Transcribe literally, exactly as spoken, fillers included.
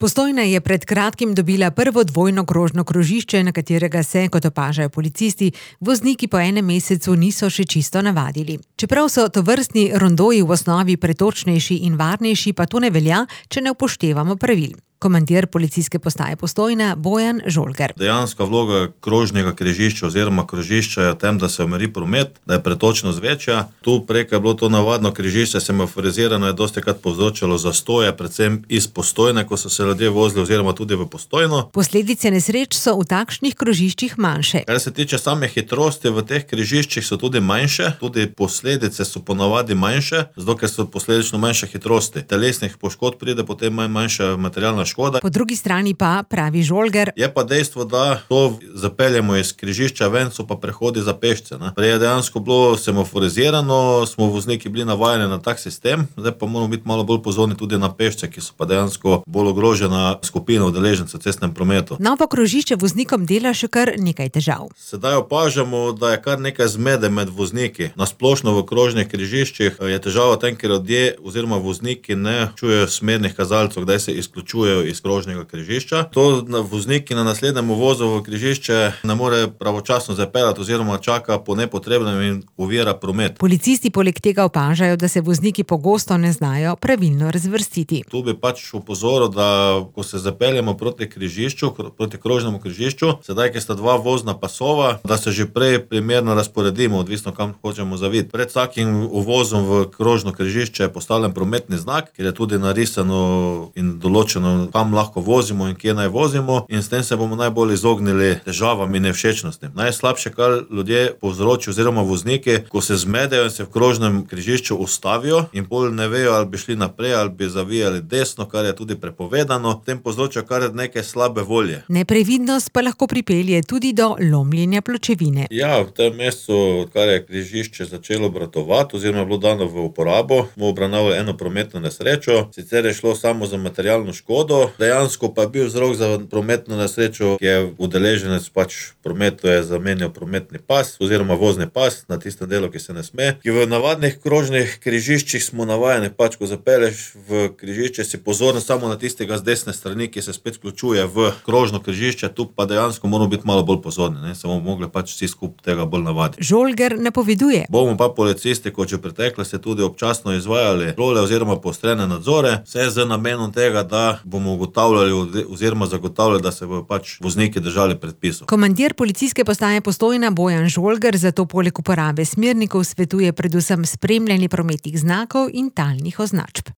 Postojna je pred kratkim dobila prvo dvojno krožno krožišče, na katerega se, kot opažajo policisti, vozniki po enem mesecu niso še čisto navadili. Čeprav so tovrstni rondoji v osnovi pretočnejši in varnejši, pa to ne velja, če ne upoštevamo pravil. Komandir policijske postaje Postojna Bojan Žolger. Dejanska vloga krožnega križišča oziroma krožišča je v tem, da se omeri promet, da je pretočnost večja. Tu preko je bilo to navadno križišče semaforizirano, je dostikrat povzročalo zastoje, predvsem iz Postojne, ko so se ljudje vozili oziroma tudi v Postojno. Posledice nesreč so v takšnih krožiščih manjše. Kar se tiče same hitrosti, v teh križiščih so tudi manjše, tudi posledice so ponavadi manjše, zato ker so posledično manjše hitrosti. Telesnih poškodb pride potem manj, manjša materialna škoda. Po drugi strani pa, pravi Žolger, je pa dejstvo, da to zapeljemo iz križišča ven, so pa prehodi za pešce. Ne. Prej je dejansko bilo semaforizirano, smo vozniki bili navajeni na tak sistem, zdaj pa moramo biti malo bolj pozorni tudi na pešce, ki so pa dejansko bolj ogrožena skupina udeležencev v cestnem prometu. Novo krožišče voznikom dela še kar nekaj težav. Sedaj opažamo, da je kar nekaj zmede med vozniki. Na splošno v krožnih križiščih je težava v tem, ker ljudje oziroma vozniki ne čujejo smernih kazalcev, kdaj se izključujejo iz krožnega križišča. To vozniki na naslednjem uvozu v križišče ne more pravočasno zapeljati oziroma čaka po nepotrebnem in ovira promet. Policisti poleg tega opažajo, da se vozniki pogosto ne znajo pravilno razvrstiti. Tu bi pač opozoril, da ko se zapeljemo proti križišču, proti krožnemu križišču, sedaj, ki sta dva vozna pasova, da se že prej primerno razporedimo, odvisno kam hočemo zaviti. Pred vsakim uvozom v krožno križišče je postavljen prometni znak, kjer je tudi narisano in določeno, kam lahko vozimo in kje naj vozimo, in s tem se bomo najbolj izognili težavam in nevšečnostim. Najslabše, kar ljudje povzročijo oziroma vozniki, ko se zmedejo in se v krožnem križišču ustavijo in pol ne vejo, ali bi šli naprej ali bi zavijali desno, kar je tudi prepovedano, tem povzročajo kar nekaj slabe volje. Neprevidnost pa lahko pripelje tudi do lomljenja pločevine. Ja, v tem mestu, odkar je križišče začelo obratovati oziroma je bilo dano v uporabo, smo obravnavali eno prometno nesrečo, sicer je šlo samo za materialno škodo, dejansko pa je bil vzrok za prometno nesrečo, ki je udeleženec pač prometu je zamenjal prometni pas oziroma vozni pas na tistem delu, ki se ne sme. Ki v navadnih krožnih križiščih smo navajeni, pač ko zapelješ v križišče, si pozoren samo na tistega z desne strani, ki se spet vključuje v krožno križišče, tu pa dejansko moramo biti malo bolj pozorni, ne, se bomo mogli pač vsi skupaj tega bolj navaditi. Žolger napoveduje. Bomo pa policisti, kot že preteklosti, tudi občasno izvajali kontrole oziroma poostrene nadzore, vse z namenom tega, da bomo ugotavljali oziroma zagotavljali, da se bodo pač vozniki držali predpisov. Komandir policijske postaje Postojna Bojan Žolger zato poleg uporabe smernikov svetuje predvsem spremljanje prometnih znakov in talnih označb.